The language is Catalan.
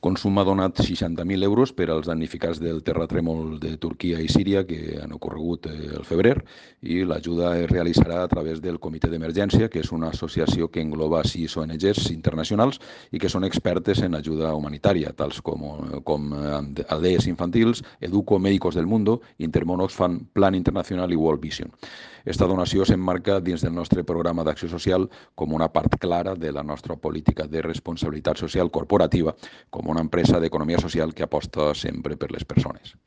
Consum ha donat 60.000 euros per als damnificats del terratrèmol de Turquia i Síria que han ocorregut al febrer, i l'ajuda es realitzarà a través del Comitè d'Emergència, que és una associació que engloba 6 ONGs internacionals i que són expertes en ajuda humanitària, tals com Aldees Infantils, Educo, Médicos del Mundo, Intermón Oxfam, Plan Internacional i World Vision. Esta donació s'emmarca dins del nostre programa d'acció social com una part clara de la nostra política de responsabilitat social corporativa com una empresa d'economia social que aposta sempre per les persones.